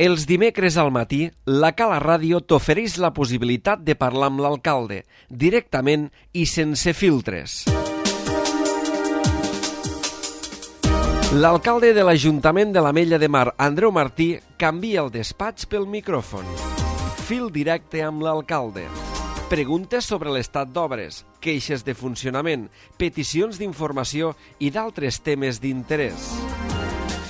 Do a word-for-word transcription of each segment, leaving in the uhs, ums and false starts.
Els dimecres al matí, la Cala Ràdio t'ofereix la possibilitat de parlar amb l'alcalde, directament i sense filtres. L'alcalde de l'Ajuntament de l'Ametlla de Mar, Andreu Martí, canvia el despatx pel micròfon. Fil directe amb l'alcalde. Preguntes sobre l'estat d'obres, queixes de funcionament, peticions d'informació i d'altres temes d'interès.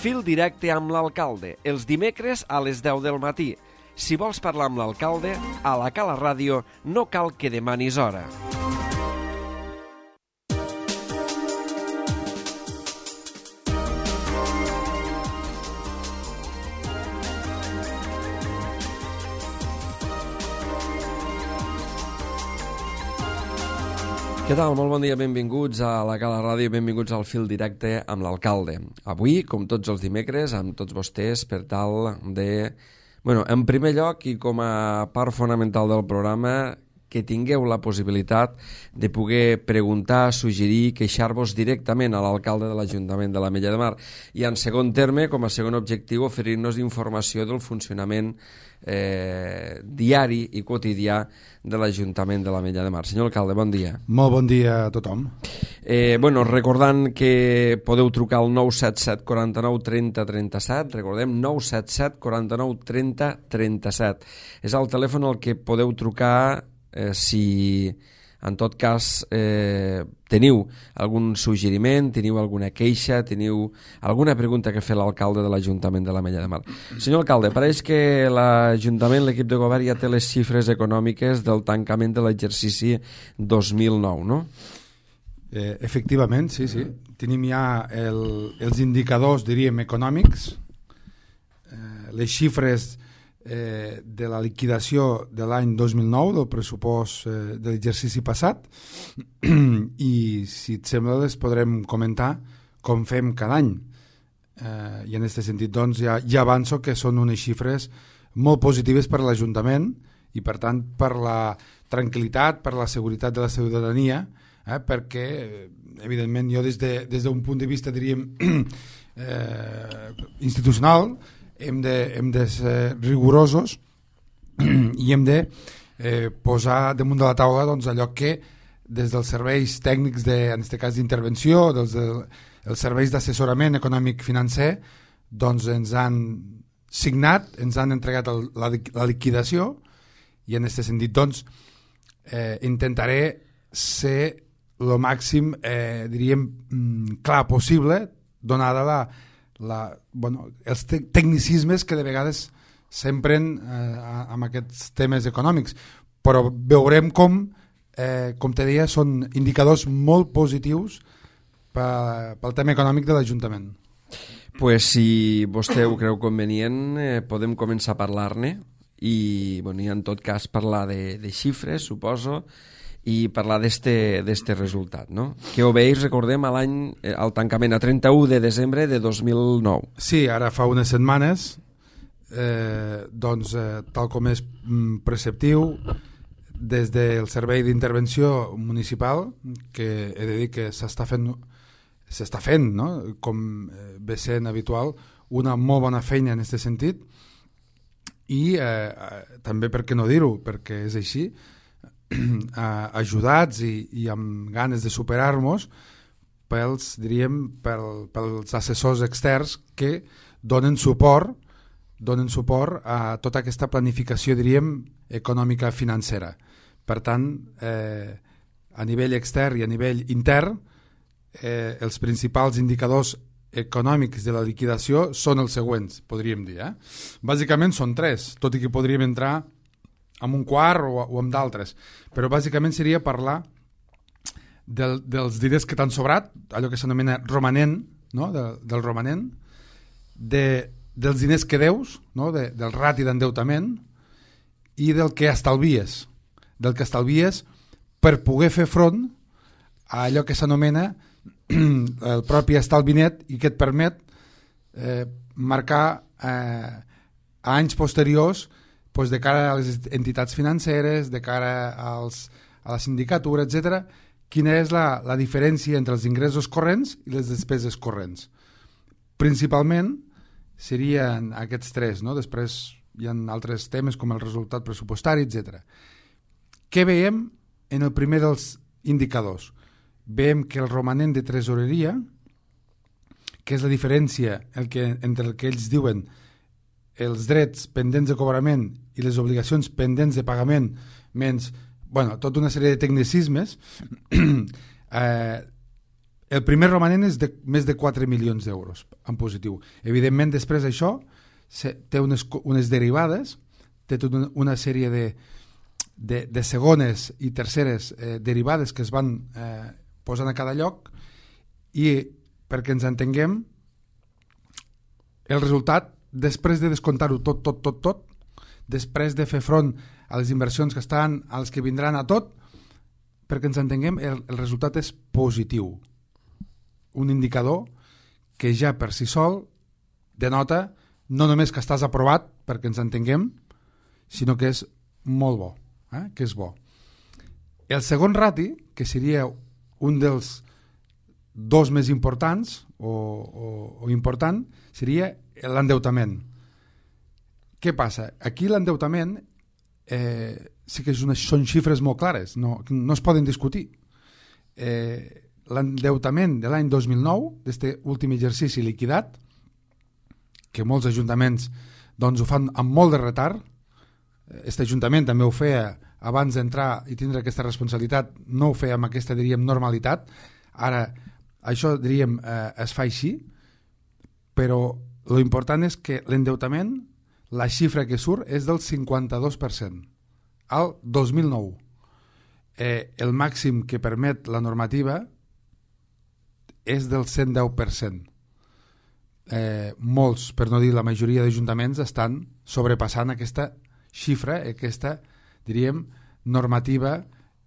Fil directe amb l'alcalde, els dimecres a les deu del matí. Si vols parlar amb l'alcalde, a la Cala Ràdio no cal que demanis hora. Què tal? Molt bon dia, benvinguts a la Cala Ràdio, benvinguts al Fil Directe amb l'alcalde. Avui, com tots els dimecres, amb tots vostès per tal de... Bueno, en primer lloc i com a part fonamental del programa, que tingueu la possibilitat de poder preguntar, suggerir, queixar-vos directament a l'alcalde de l'Ajuntament de l'Ametlla de Mar. I en segon terme, com a segon objectiu, oferir-nos informació del funcionament eh, diari i quotidià de l'Ajuntament de l'Ametlla de Mar. Senyor alcalde, bon dia. Molt bon dia a tothom. Eh, bueno, recordant que podeu trucar al nou set set quaranta-nou trenta trenta-set, recordem nou set set quaranta-nou trenta trenta-set. És el telèfon al que podeu trucar eh, si en tot cas eh, teniu algun suggeriment, teniu alguna queixa, teniu alguna pregunta que fer l'alcalde de l'Ajuntament de l'Ametlla de Mar. Senyor alcalde, pareix que l'Ajuntament, l'equip de govern, ja té les xifres econòmiques del tancament de l'exercici dos mil nou, no? Eh, efectivament, sí, sí. Tenim ja el, els indicadors, diríem, econòmics, eh, les xifres eh, de la liquidació de l'any dos mil nou, del pressupost eh, de l'exercici passat, i si et sembla les podrem comentar com fem cada any. Eh, I en aquest sentit, doncs, ja, ja avanço que són unes xifres molt positives per a l'Ajuntament i, per tant, per la tranquil·litat, per la seguretat de la ciutadania, Eh, perquè, evidentment, jo des d'un de, des punt de vista, diríem, eh, institucional, hem de, hem de ser rigorosos i hem de eh, posar damunt de la taula, doncs, allò que des dels serveis tècnics, de, en aquest cas d'intervenció, dels de, els serveis d'assessorament econòmic-financer, doncs ens han signat, ens han entregat el, la, la liquidació, i en aquest sentit, doncs, eh, intentaré ser el màxim, eh, diríem, clar possible, donada la, la, bueno, els te tecnicismes que de vegades s'empren eh, amb aquests temes econòmics. Però veurem com, eh, com te deia, són indicadors molt positius pel, pel tema econòmic de l'Ajuntament. Pues si vostè ho creu convenient, eh, podem començar a parlar-ne i, bueno, i en tot cas parlar de, de xifres, suposo, i parlar d'este resultat, no? Que ho veig, recordem, a l'any, al tancament a trenta-u de desembre de dos mil nou. Sí, ara fa unes setmanes, eh, doncs, eh, tal com és preceptiu, des del Servei d'Intervenció Municipal, que he de dir que s'està fent, s'està fent, no? Com ve sent habitual, una molt bona feina en aquest sentit, i eh, també, per què no dir-ho, perquè és així, ajudats i, i amb ganes de superar-nos pels, diríem, pel, pels assessors externs que donen suport donen suport a tota aquesta planificació, diríem, econòmica financera. Per tant, eh, a nivell extern i a nivell intern, eh, els principals indicadors econòmics de la liquidació són els següents, podríem dir. Eh? Bàsicament són tres, tot i que podríem entrar amb un quart o, o amb d'altres, però bàsicament seria parlar del, dels diners que t'han sobrat, allò que s'anomena romanent, no? de, del romanent, de, dels diners que deus, no? de, del rati d'endeutament, i del que estalvies, del que estalvies per poder fer front a allò que s'anomena el propi estalvi net i que et permet eh, marcar eh, a anys posteriors, doncs, de cara a les entitats financeres, de cara als, a la sindicatura, etcètera, quina és la, la diferència entre els ingressos corrents i les despeses corrents. Principalment, serien aquests tres, no? Després hi ha altres temes com el resultat pressupostari, etcètera. Què veiem en el primer dels indicadors? Veiem que el romanent de tresoreria, que és la diferència el que, entre el que ells diuen els drets pendents de cobrament i les obligacions pendents de pagament, menys, bueno, tota una sèrie de tecnicismes, eh, el primer romanent és de més de quatre milions d'euros en positiu. Evidentment, després d'això té unes, unes derivades, té tota una sèrie de, de, de segones i terceres eh, derivades que es van eh, posant a cada lloc, i perquè ens entenguem, el resultat, després de descomptar-ho tot, tot, tot, tot, després de fer front a les inversions que estan, als que vindran a tot, perquè ens entenguem, el, el resultat és positiu. Un indicador que ja per si sol denota no només que estàs aprovat, perquè ens entenguem, sinó que és molt bo, eh? que és bo. El segon rati, que seria un dels dos més importants o, o, o important, seria l'endeutament. Què passa? Aquí l'endeutament eh, sí que és una, són xifres molt clares, no, no es poden discutir. Eh, l'endeutament de l'any dos mil nou, d'aquest últim exercici liquidat, que molts ajuntaments doncs, ho fan amb molt de retard, aquest ajuntament també ho feia abans d'entrar i tindre aquesta responsabilitat, no ho feia amb aquesta, diríem, normalitat. Ara, això, diríem, eh, es fa així, però lo important és que l'endeutament, la xifra que surt és del cinquanta-dos per cent al dos mil nou. Eh, el màxim que permet la normativa és del cent deu per cent. Eh, molts, per no dir la majoria d'ajuntaments, estan sobrepassant aquesta xifra, aquesta, diríem, normativa,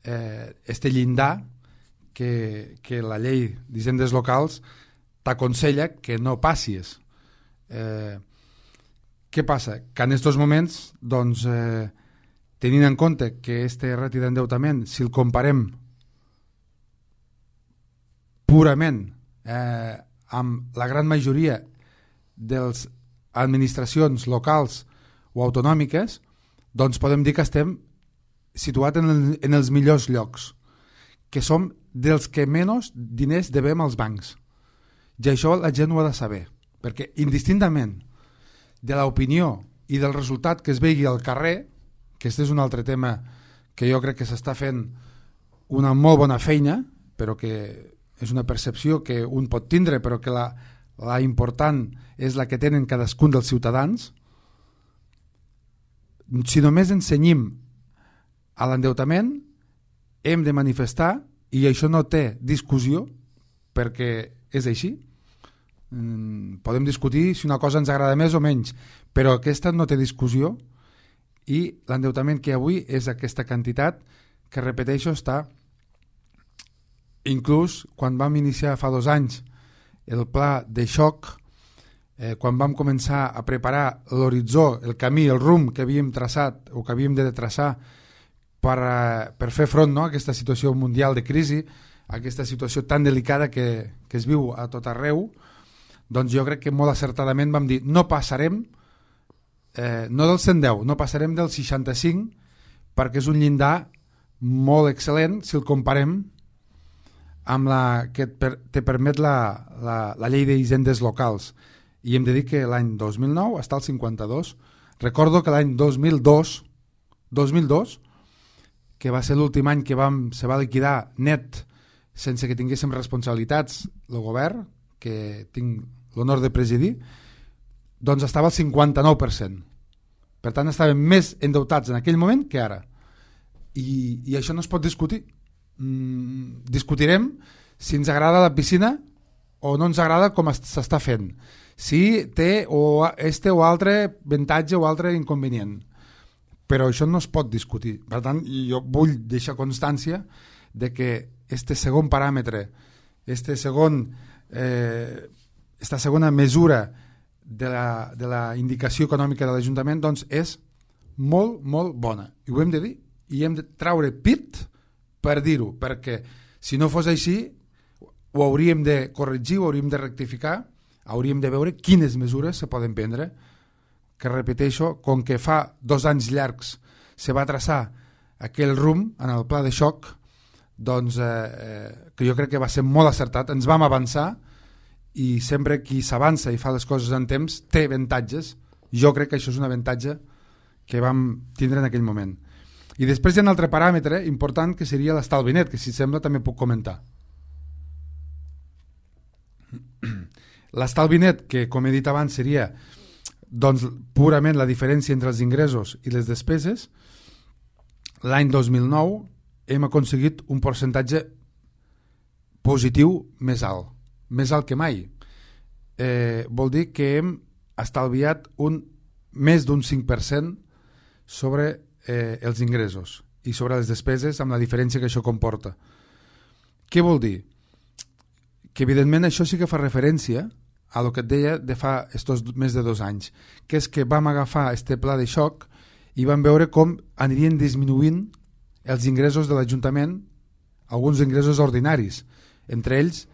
eh, este llindar que, que la llei d'hisendes locals t'aconsella que no passis. Eh, què passa? Que en aquests moments, doncs, eh, tenint en compte que este rati d'endeutament, si el comparem purament eh, amb la gran majoria de les administracions locals o autonòmiques, doncs podem dir que estem situats en, el, en els millors llocs, que som dels que menys diners devem als bancs. I això la gent ho ha de saber, perquè indistintament de l'opinió i del resultat que es vegi al carrer, que aquest és un altre tema que jo crec que s'està fent una molt bona feina, però que és una percepció que un pot tindre, però que la, la important és la que tenen cadascun dels ciutadans. Si només ensenyim a l'endeutament, hem de manifestar, i això no té discussió, perquè és així. Podem discutir si una cosa ens agrada més o menys, però aquesta no té discussió, i l'endeutament que avui és aquesta quantitat que, repeteixo, està inclús quan vam iniciar fa dos anys el pla de xoc, eh, quan vam començar a preparar l'horitzó, el camí, el rumb que havíem traçat o que havíem de traçar per, a, per fer front, no, a aquesta situació mundial de crisi, a aquesta situació tan delicada que, que es viu a tot arreu, doncs jo crec que molt acertadament vam dir no passarem eh, no del cent deu, no passarem del seixanta-cinc, perquè és un llindar molt excel·lent si el comparem amb la que per, te permet la, la, la llei d'hisendes locals, i hem de dir que l'any dos mil nou està al cinquanta-dos. Recordo que l'any dos mil dos dos mil dos, que va ser l'últim any que vam, se va liquidar net sense que tinguéssim responsabilitats el govern, que tinc l'honor de presidir, doncs estava al cinquanta-nou per cent. Per tant, estàvem més endeutats en aquell moment que ara. I, i això no es pot discutir. Mm, discutirem si ens agrada la piscina o no ens agrada com s'està fent, si té o este o altre avantatge o altre inconvenient, però això no es pot discutir. Per tant, jo vull deixar constància de que este segon paràmetre, este segon eh, esta segona mesura de la, de la indicació econòmica de l'Ajuntament, doncs és molt, molt bona, i ho hem de dir, i hem de traure pit per dir-ho, perquè si no fos així ho hauríem de corregir, ho hauríem de rectificar hauríem de veure quines mesures se poden prendre, que repeteixo, com que fa dos anys llargs se va traçar aquell rumb en el pla de xoc, doncs eh, que jo crec que va ser molt acertat, ens vam avançar i sempre qui s'avança i fa les coses en temps té avantatges. Jo crec que això és un avantatge que vam tindre en aquell moment. I després hi ha un altre paràmetre important que seria l'estalvi net, que si sembla també puc comentar. L'estalvi net, que com he dit abans seria doncs, purament la diferència entre els ingressos i les despeses, l'any dos mil nou hem aconseguit un percentatge positiu més alt, més alt que mai. Eh, vol dir que hem estalviat un, més d'un cinc per cent sobre eh, els ingressos i sobre les despeses, amb la diferència que això comporta. Què vol dir? Que evidentment això sí que fa referència a el que et deia de fa estos més de dos anys, que és que vam agafar este pla de xoc i vam veure com anirien disminuint els ingressos de l'Ajuntament, alguns ingressos ordinaris, entre ells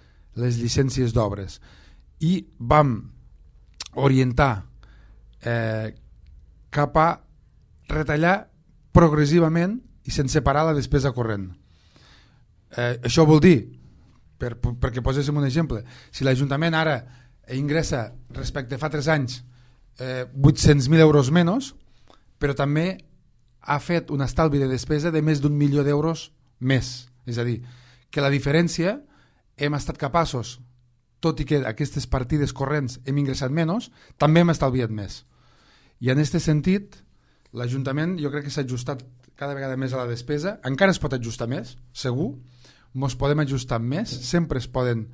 les llicències d'obres, i vam orientar eh, cap a retallar progressivament i sense parar la despesa corrent. Eh, això vol dir, per, perquè poséssim un exemple, si l'Ajuntament ara ingressa respecte a fa tres anys eh, vuit-cents mil euros menys, però també ha fet un estalvi de despesa de més d'un milió d'euros més. És a dir, que la diferència hem estat capaços, tot i que aquestes partides corrents hem ingressat menys, també hem estalviat més. I en aquest sentit, l'Ajuntament jo crec que s'ha ajustat cada vegada més a la despesa, encara es pot ajustar més, segur, ens podem ajustar més, sempre es poden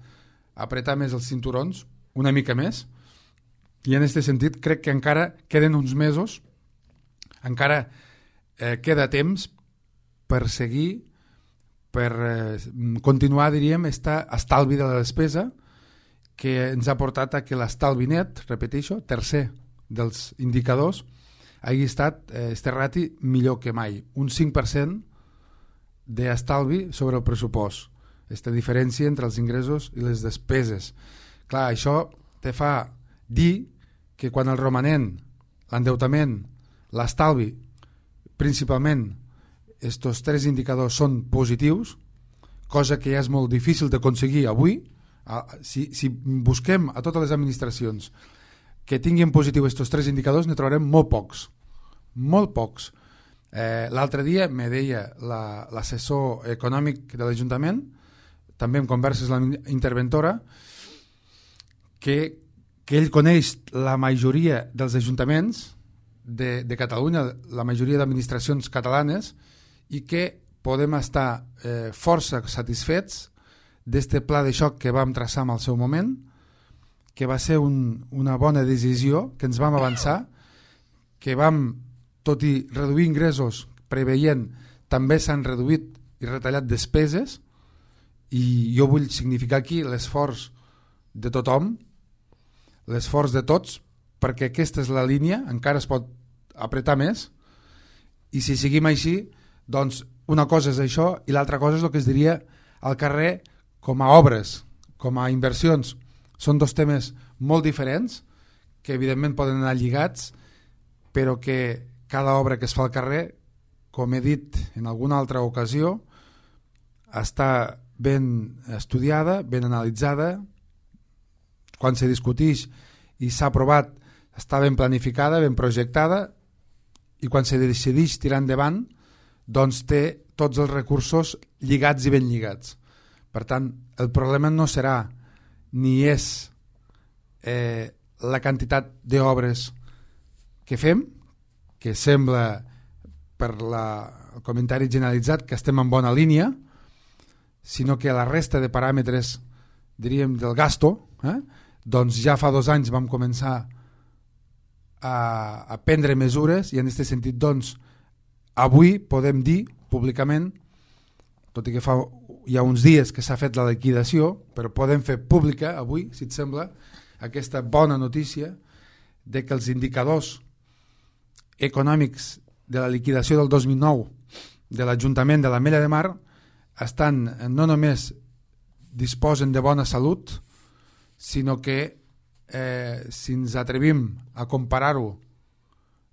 apretar més els cinturons, una mica més, i en aquest sentit crec que encara queden uns mesos, encara eh, queda temps per seguir, per eh, continuar, diríem, este estalvi de la despesa que ens ha portat a que l'estalvi net, repeteixo, tercer dels indicadors, hagi estat eh, este rati millor que mai, un cinc per cent d'estalvi sobre el pressupost, aquesta diferència entre els ingressos i les despeses. Clar, això te fa dir que quan el romanent, l'endeutament, l'estalvi, principalment estos tres indicadors són positius, cosa que ja és molt difícil d'aconseguir avui. Si, si busquem a totes les administracions que tinguin positiu estos tres indicadors, ne trobarem molt pocs, molt pocs. Eh, l'altre dia me deia la, l'assessor econòmic de l'Ajuntament, també en converses amb la interventora, que, que ell coneix la majoria dels ajuntaments de, de Catalunya, la majoria d'administracions catalanes, i que podem estar eh, força satisfets d'este pla de xoc que vam traçar en el seu moment, que va ser un, una bona decisió, que ens vam avançar, que vam, tot i reduir ingressos preveient, també s'han reduït i retallat despeses, i jo vull significar aquí l'esforç de tothom, l'esforç de tots, perquè aquesta és la línia, encara es pot apretar més, i si seguim així, doncs una cosa és això i l'altra cosa és el que es diria al carrer com a obres, com a inversions. Són dos temes molt diferents que evidentment poden anar lligats, però que cada obra que es fa al carrer, com he dit en alguna altra ocasió, està ben estudiada, ben analitzada, quan se discuteix i s'ha aprovat està ben planificada, ben projectada, i quan se decideix tirar endavant doncs té tots els recursos lligats i ben lligats. Per tant, el problema no serà ni és eh, la quantitat d'obres que fem, que sembla per la, el comentari generalitzat que estem en bona línia, sinó que la resta de paràmetres, diríem, del gasto, eh, doncs ja fa dos anys vam començar a, a prendre mesures i en aquest sentit doncs avui podem dir públicament, tot i que fa hi ha uns dies que s'ha fet la liquidació, però podem fer pública avui, si et sembla, aquesta bona notícia de que els indicadors econòmics de la liquidació del dos mil nou de l'Ajuntament de l'Ametlla de Mar estan, no només disposen de bona salut, sinó que eh, si ens atrevim a comparar-ho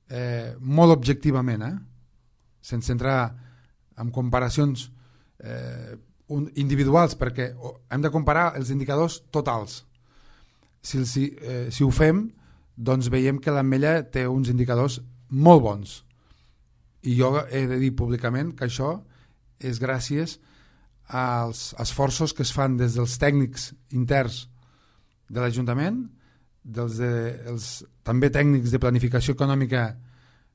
eh, molt objectivament, eh, sense entrar en comparacions eh, individuals, perquè hem de comparar els indicadors totals. Si, si, eh, si ho fem, doncs veiem que l'Ametlla té uns indicadors molt bons. I jo he de dir públicament que això és gràcies als esforços que es fan des dels tècnics interns de l'Ajuntament, dels de, els, també tècnics de planificació econòmica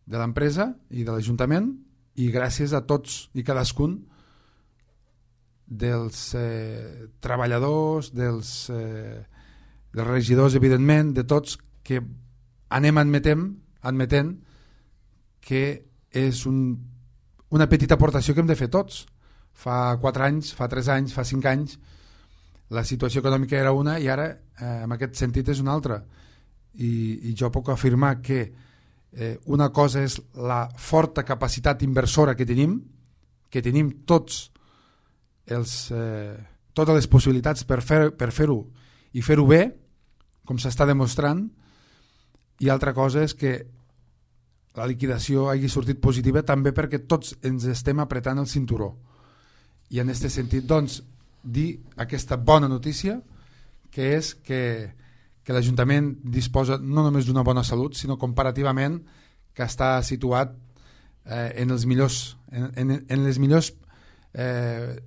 de l'empresa i de l'Ajuntament, i gràcies a tots i cadascun dels eh, treballadors, dels, eh, dels regidors, evidentment, de tots, que anem admetent, admetent que és un, una petita aportació que hem de fer tots. Fa quatre anys, fa tres anys, fa cinc anys, la situació econòmica era una i ara, eh, en aquest sentit, és una altra. I, i jo puc afirmar que eh, una cosa és la forta capacitat inversora que tenim, que tenim tots els, eh, totes les possibilitats per, fer, per fer-ho i fer-ho bé, com s'està demostrant, i altra cosa és que la liquidació hagi sortit positiva també perquè tots ens estem apretant el cinturó. I en aquest sentit, doncs, dir aquesta bona notícia, que és que, que l'Ajuntament disposa no només d'una bona salut, sinó comparativament que està situat eh, en els millors, en, en, en les millors eh,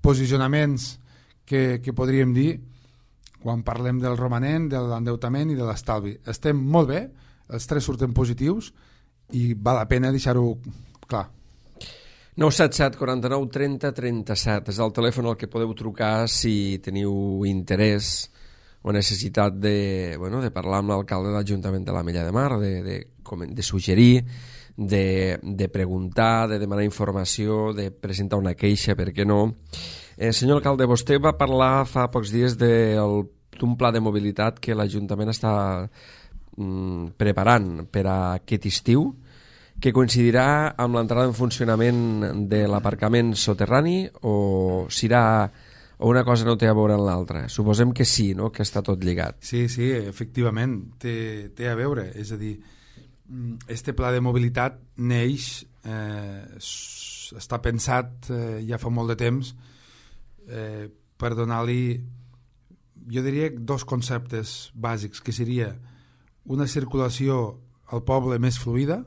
posicionaments que, que podríem dir quan parlem del romanent, de l'endeutament i de l'estalvi. Estem molt bé, els tres surten positius i val la pena deixar-ho clar. nou set set quaranta-nou trenta trenta-set és el telèfon al que podeu trucar si teniu interès o necessitat de, bueno, de parlar amb l'alcalde de l'Ajuntament de l'Ametlla de Mar, de, de, de suggerir, de, de preguntar, de demanar informació, de presentar una queixa, per què no. Eh, senyor alcalde, vostè va parlar fa pocs dies d'un pla de mobilitat que l'Ajuntament està mm, preparant per a aquest estiu, que coincidirà amb l'entrada en funcionament de l'aparcament soterrani o serà o una cosa no té a veure amb l'altra? Suposem que sí, no? Que està tot lligat. Sí, sí, efectivament, té, té a veure. És a dir, este pla de mobilitat neix, eh, està pensat eh, ja fa molt de temps eh, per donar-li, jo diria, dos conceptes bàsics, que seria una circulació al poble més fluida,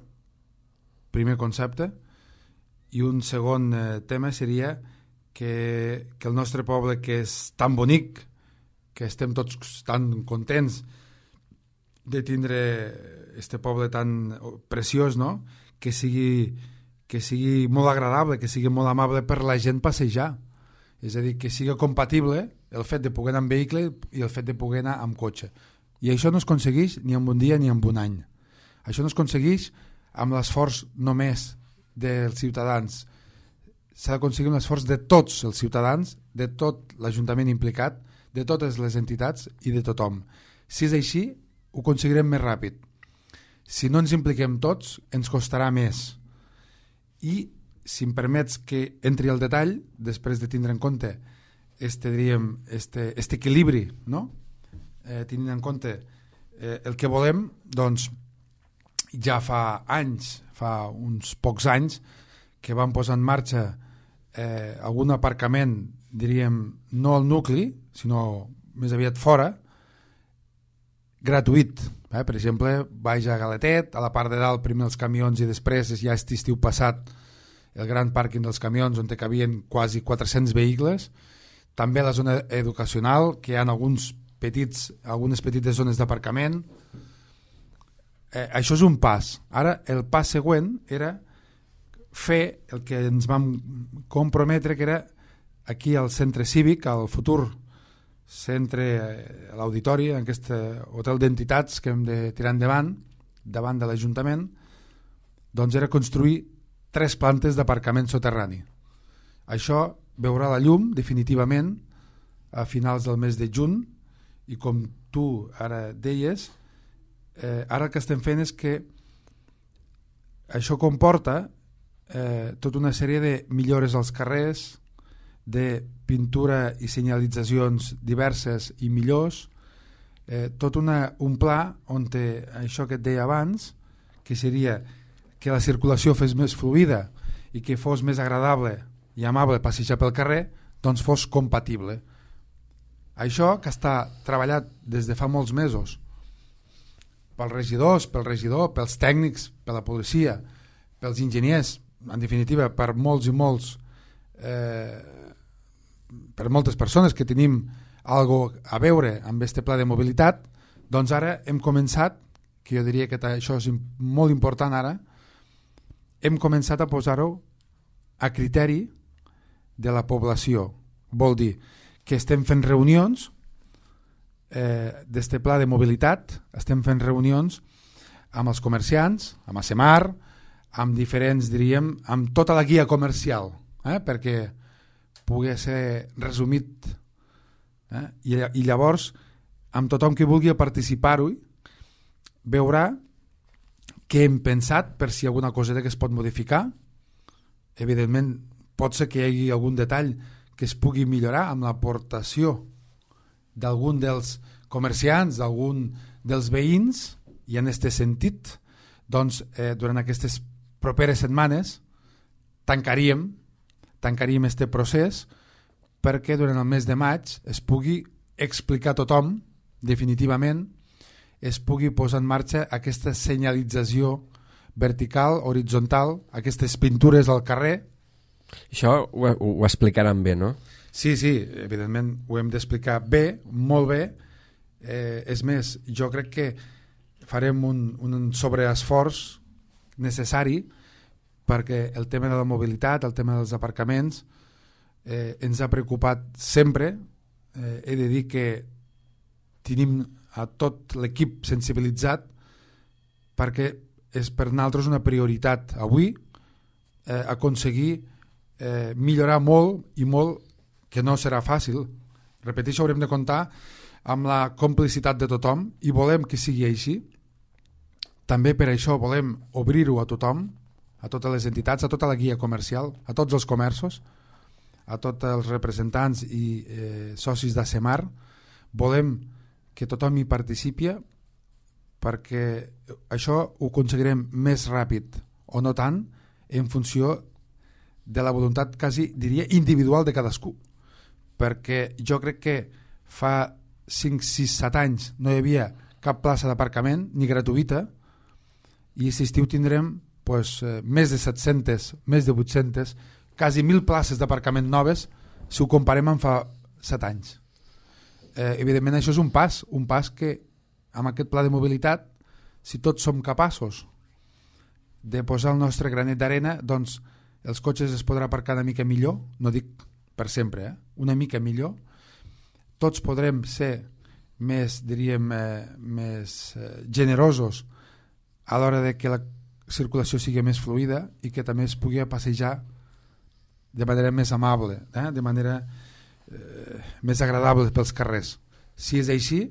primer concepte, i un segon eh, tema seria que, que el nostre poble, que és tan bonic, que estem tots tan contents de tindre este poble tan preciós, no? que, sigui, que sigui molt agradable, que sigui molt amable per la gent passejar. És a dir, que sigui compatible el fet de poder anar amb vehicle i el fet de poder anar amb cotxe. I això no es aconsegueix ni en un dia ni en un any. Això no es aconsegueix amb l'esforç només dels ciutadans. S'ha d'aconseguir un esforç de tots els ciutadans, de tot l'Ajuntament implicat, de totes les entitats i de tothom. Si és així, ho aconseguirem més ràpid. Si no ens impliquem tots, ens costarà més. I, si em permets que entri al detall, després de tindre en compte este, diríem, este, este equilibri, no? eh, tenint en compte eh, el que volem, doncs ja fa anys, fa uns pocs anys, que van posar en marxa eh, algun aparcament, diríem, no al nucli, sinó més aviat fora, gratuït. Eh? Per exemple, baix a Galetet, a la part de dalt primer els camions i després, ja aquest estiu passat, el gran pàrquing dels camions on hi cabien quasi quatre-cents vehicles. També la zona educacional, que hi ha alguns petits, algunes petites zones d'aparcament. Eh, això és un pas. Ara el pas següent era fer el que ens vam comprometre, que era aquí al centre cívic, al futur centre, eh, a l'auditori, en aquest hotel d'entitats que hem de tirar endavant, davant de l'Ajuntament, doncs era construir tres plantes d'aparcament soterrani. Això veurà la llum definitivament a finals del mes de juny i com tu ara deies, eh, ara el que estem fent és que això comporta eh, tota una sèrie de millores als carrers, de pintura i senyalitzacions diverses i millors, eh, tot una, un pla on té això que et deia abans, que seria que la circulació fes més fluida i que fos més agradable i amable passejar pel carrer, doncs fos compatible. Això que està treballat des de fa molts mesos pels regidors, pel regidor, pels tècnics, per la policia, pels enginyers, en definitiva per molts i molts eh, per moltes persones que tenim algo a veure amb este pla de mobilitat, doncs ara hem començat, que jo diria que això és molt important ara, hem començat a posar-ho a criteri de la població. Vol dir que estem fent reunions eh, d'este pla de mobilitat, estem fent reunions amb els comerciants, amb ASEMAR, amb diferents, diríem, amb tota la guia comercial, eh, perquè pugui ser resumit, eh, i, i llavors amb tothom que vulgui participar-hi veurà què hem pensat per si alguna coseta que es pot modificar. Evidentment pot ser que hi hagi algun detall que es pugui millorar amb l'aportació d'algun dels comerciants, d'algun dels veïns, i en aquest sentit doncs, eh, durant aquestes properes setmanes tancaríem tancaríem este procés perquè durant el mes de maig es pugui explicar a tothom definitivament, es pugui posar en marxa aquesta senyalització vertical, horitzontal, aquestes pintures al carrer. Això ho, ho explicaran bé, no? Sí, sí, evidentment ho hem d'explicar bé, molt bé. Eh, és més, jo crec que farem un, un sobreesforç necessari perquè el tema de la mobilitat, el tema dels aparcaments, eh, ens ha preocupat sempre. Eh, he de dir que tenim a tot l'equip sensibilitzat perquè és per nosaltres una prioritat avui eh, aconseguir eh, millorar molt i molt, que no serà fàcil. Repeteixo, haurem de comptar amb la complicitat de tothom i volem que sigui així. També per això volem obrir-ho a tothom, a totes les entitats, a tota la guia comercial, a tots els comerços, a tots els representants i eh, socis d'ASEMAR. Volem que tothom hi participi perquè això ho aconseguirem més ràpid o no tant en funció de la voluntat quasi, diria, individual de cadascú. Perquè jo crec que fa cinc, sis, set anys no hi havia cap plaça d'aparcament, ni gratuïta, i aquest estiu tindrem pues, més de set-centes, més de vuit-centes, quasi mil places d'aparcament noves si ho comparem amb fa set anys. Eh, evidentment això és un pas, un pas que amb aquest pla de mobilitat, si tots som capaços de posar el nostre granet d'arena, doncs els cotxes es podrà aparcar una mica millor, no dic per sempre, eh? una mica millor, tots podrem ser més, diríem, eh, més eh, generosos a l'hora de que la circulació sigui més fluida i que també es pugui passejar de manera més amable, eh? de manera eh, més agradable pels carrers. Si és així,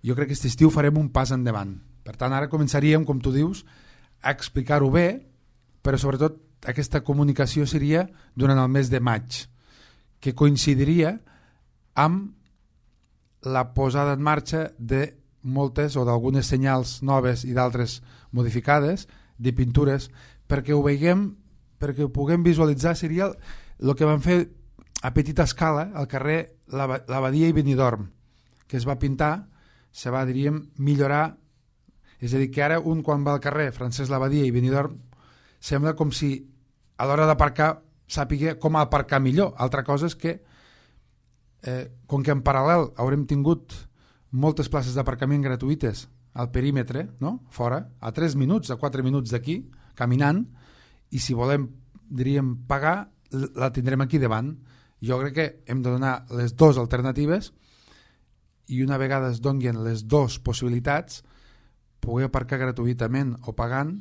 jo crec que aquest estiu farem un pas endavant. Per tant, ara començaríem, com tu dius, a explicar-ho bé, però sobretot aquesta comunicació seria durant el mes de maig, que coincidiria amb la posada en marxa de moltes o d'algunes senyals noves i d'altres modificades de pintures, perquè ho veiem, perquè ho puguem visualitzar. Seria el, el que van fer a petita escala al carrer l'Abadia i Benidorm, que es va pintar, se va, diríem, millorar. És a dir, que ara un quan va al carrer Francesc Labadia i Benidorm sembla com si a l'hora d'aparcar sàpiga com aparcar millor. Altra cosa és que eh, com que en paral·lel haurem tingut moltes places d'aparcament gratuïtes al perímetre, no? Fora, a tres minuts, a quatre minuts d'aquí, caminant, i si volem, diríem, pagar, la tindrem aquí davant. Jo crec que hem de donar les dues alternatives i una vegada es donin les dues possibilitats, poder aparcar gratuïtament o pagant,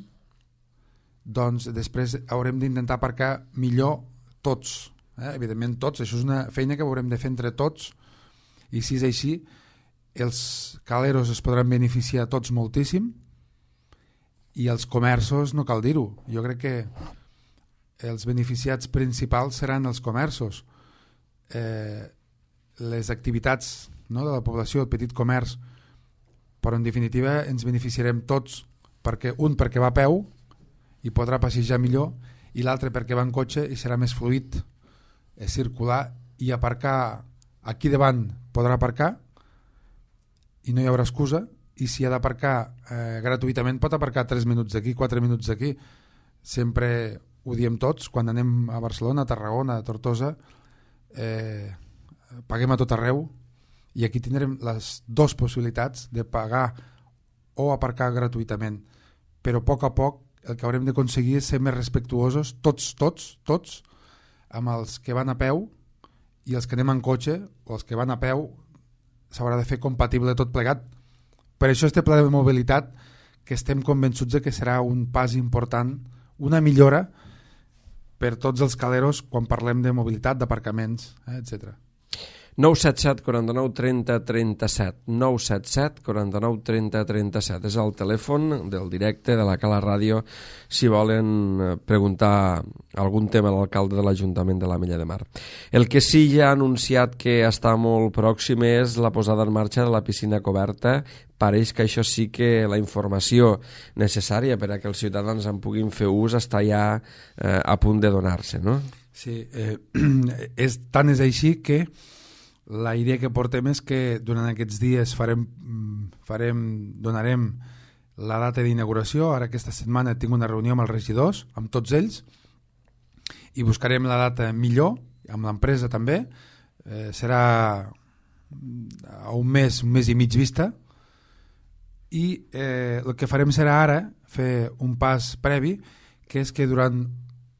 doncs després haurem d'intentar aparcar millor tots. Eh? Evidentment tots, això és una feina que haurem de fer entre tots, i si és així, els caleros es podran beneficiar tots moltíssim i els comerços no cal dir-ho. Jo crec que els beneficiats principals seran els comerços. Eh, les activitats, no, de la població, el petit comerç, però en definitiva ens beneficiarem tots, perquè un perquè va a peu i podrà passejar millor, i l'altre perquè va en cotxe i serà més fluid eh, circular, i aparcar aquí davant podrà aparcar i no hi haurà excusa, i si ha d'aparcar eh, gratuïtament pot aparcar tres minuts d'aquí, quatre minuts d'aquí. Sempre ho diem tots, quan anem a Barcelona, a Tarragona, a Tortosa, eh, paguem a tot arreu, i aquí tindrem les dues possibilitats de pagar o aparcar gratuïtament, però a poc a poc el que haurem d'aconseguir és ser més respectuosos, tots, tots, tots, amb els que van a peu, i els que anem en cotxe, o els que van a peu, s'haurà de fer compatible tot plegat. Per això este pla de mobilitat, que estem convençuts de que serà un pas important, una millora per tots els caleros quan parlem de mobilitat, d'aparcaments, eh, etcètera. nou set set, quaranta-nou, trenta, trenta-set. nou set set, quaranta-nou, trenta, trenta-set. És el telèfon del directe de la Cala Ràdio si volen preguntar algun tema a l'alcalde de l'Ajuntament de l'Ametlla de Mar. El que sí ja ha anunciat que està molt pròxim és la posada en marxa de la piscina coberta. Pareix que això sí que la informació necessària per a que els ciutadans en puguin fer ús està ja eh, a punt de donar-se, no? Sí, eh, és, tant és així que la idea que portem és que durant aquests dies farem, farem, donarem la data d'inauguració. Ara aquesta setmana tinc una reunió amb els regidors, amb tots ells, i buscarem la data millor, amb l'empresa també. Eh, serà a un mes, un mes i mig vista, i eh, el que farem serà ara fer un pas previ, que és que durant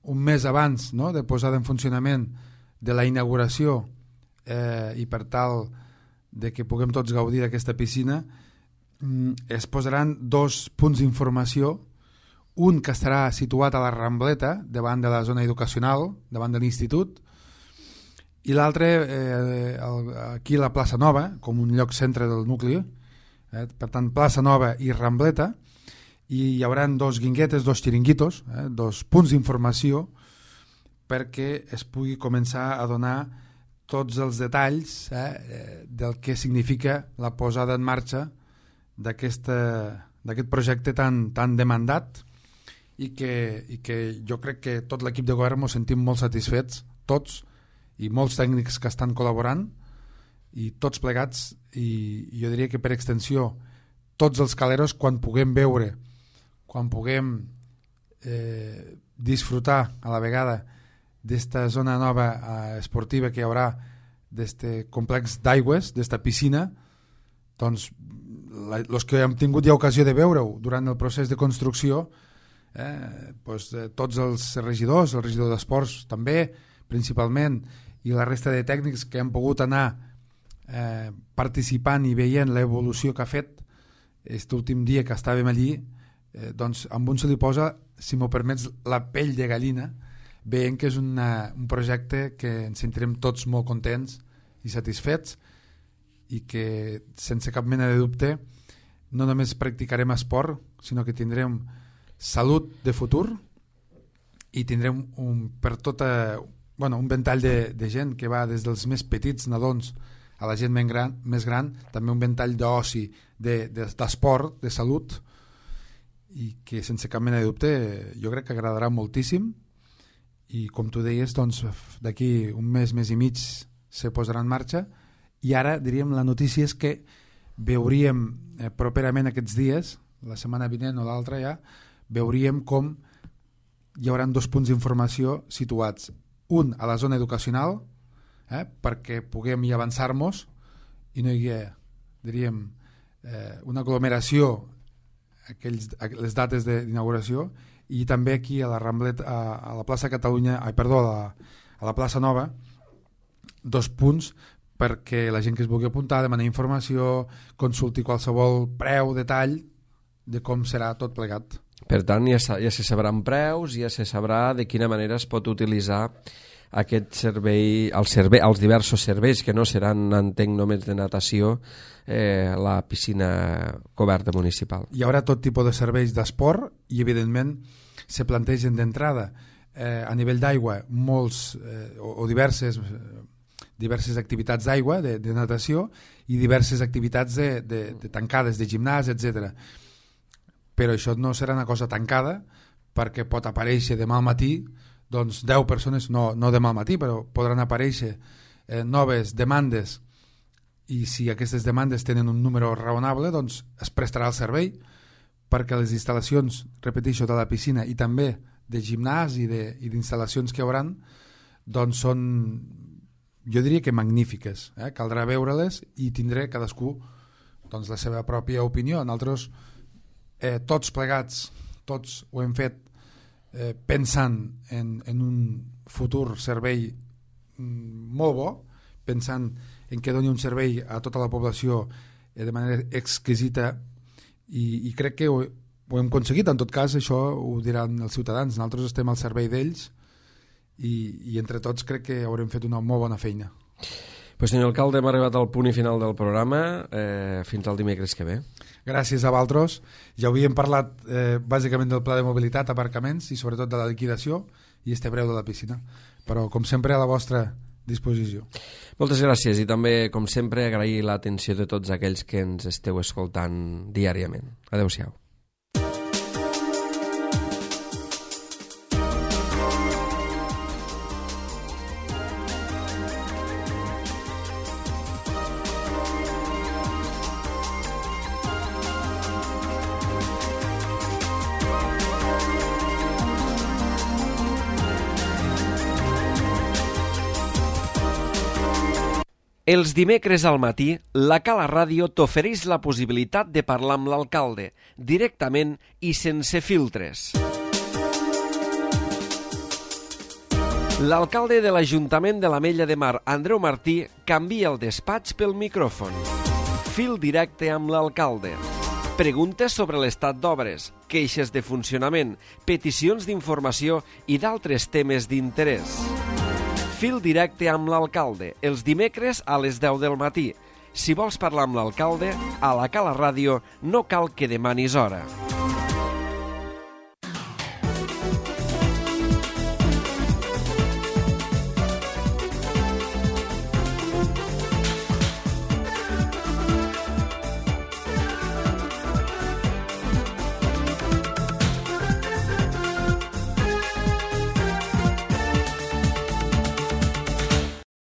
un mes abans, no, de posada en funcionament de la inauguració, Eh, i per tal de que puguem tots gaudir d'aquesta piscina, es posaran dos punts d'informació, un que estarà situat a la Rambleta davant de la zona educacional, davant de l'institut, i l'altre eh, aquí a la plaça Nova, com un lloc centre del nucli, eh, per tant plaça Nova i Rambleta, i hi haurà dos guinguetes, dos xiringuitos, eh, dos punts d'informació perquè es pugui començar a donar tots els detalls eh, del que significa la posada en marxa d'aquest projecte tan, tan demandat, i que, i que jo crec que tot l'equip de govern ens sentim molt satisfets, tots, i molts tècnics que estan col·laborant, i tots plegats, i jo diria que per extensió tots els caleros, quan puguem veure, quan puguem eh, disfrutar a la vegada d'esta zona nova eh, esportiva que hi haurà, d'este complex d'aigües, d'esta piscina, doncs els que hem tingut ja ocasió de veure-ho durant el procés de construcció, eh, doncs, eh, tots els regidors, el regidor d'Esports també, principalment, i la resta de tècnics que han pogut anar eh, participant i veient l'evolució que ha fet aquest últim dia que estàvem allí, eh, doncs amb un se li posa, si m'ho permets, la pell de gallina, veient que és una, un projecte que ens sentirem tots molt contents i satisfets, i que sense cap mena de dubte no només practicarem esport, sinó que tindrem salut de futur, i tindrem un, per tota, bueno, un ventall de, de gent que va des dels més petits nadons a la gent més gran, més gran, també un ventall d'oci, de, de, d'esport, de salut, i que sense cap mena de dubte jo crec que agradarà moltíssim. I com tu deies, doncs, d'aquí un mes, mes i mig se posarà en marxa, i ara diríem la notícia és que veuríem eh, properament aquests dies, la setmana vinent o l'altra ja, veuríem com hi haurà dos punts d'informació situats, un a la zona educacional, eh, perquè puguem hi avançar-nos i no hi hagi, diríem, eh, una aglomeració aquells, les dates d'inauguració, i també aquí a la Ramblet, a, a la plaça Catalunya, ai, perdó, a la, a la plaça Nova, dos punts perquè la gent que es vulgui apuntar, demanar informació, consulti qualsevol preu, detall de com serà tot plegat. Per tant, ja, ja se sabran preus, ja se sabrà de quina manera es pot utilitzar aquest servei, el servei, els diversos serveis que no seran, entenc, només de natació, eh, la piscina coberta municipal. Hi haurà tot tipus de serveis d'esport i, evidentment, se plantegen d'entrada eh, a nivell d'aigua molts eh, o, o diverses eh, diverses activitats d'aigua, de, de natació, i diverses activitats de, de, de tancades, de gimnàs, etcètera. Però això no serà una cosa tancada, perquè pot aparèixer demà al matí, doncs deu persones, no, no demà al matí, però podran aparèixer eh, noves demandes, i si aquestes demandes tenen un número raonable, doncs es prestarà el servei, perquè les instal·lacions, repeteixo, de la piscina i també de gimnàs i d'instal·lacions que hi haurà, doncs són, jo diria que magnífiques. Eh? Caldrà veure-les i tindré cadascú doncs, la seva pròpia opinió. Nosaltres, eh, tots plegats, tots ho hem fet eh, pensant en, en un futur servei molt bo, pensant en què doni un servei a tota la població eh, de manera exquisita, i, i crec que ho, ho hem aconseguit. En tot cas, això ho diran els ciutadans, nosaltres estem al servei d'ells i, i entre tots crec que haurem fet una molt bona feina. Pues, senyor alcalde, hem arribat al punt i final del programa. Eh, fins al dimecres que ve. Gràcies a vosaltres. Ja havíem parlat eh, bàsicament del pla de mobilitat, aparcaments i sobretot de la liquidació i este breu de la piscina, però com sempre a la vostra disposició. Moltes gràcies, i també, com sempre, agrair l'atenció de tots aquells que ens esteu escoltant diàriament. Adéu-siau. Els dimecres al matí, la Cala Ràdio t'ofereix la possibilitat de parlar amb l'alcalde, directament i sense filtres. L'alcalde de l'Ajuntament de l'Ametlla de Mar, Andreu Martí, canvia el despatx pel micròfon. Fil directe amb l'alcalde. Preguntes sobre l'estat d'obres, queixes de funcionament, peticions d'informació i d'altres temes d'interès. Fil directe amb l'alcalde, els dimecres a les deu del matí. Si vols parlar amb l'alcalde, a la Cala Ràdio no cal que demanis hora.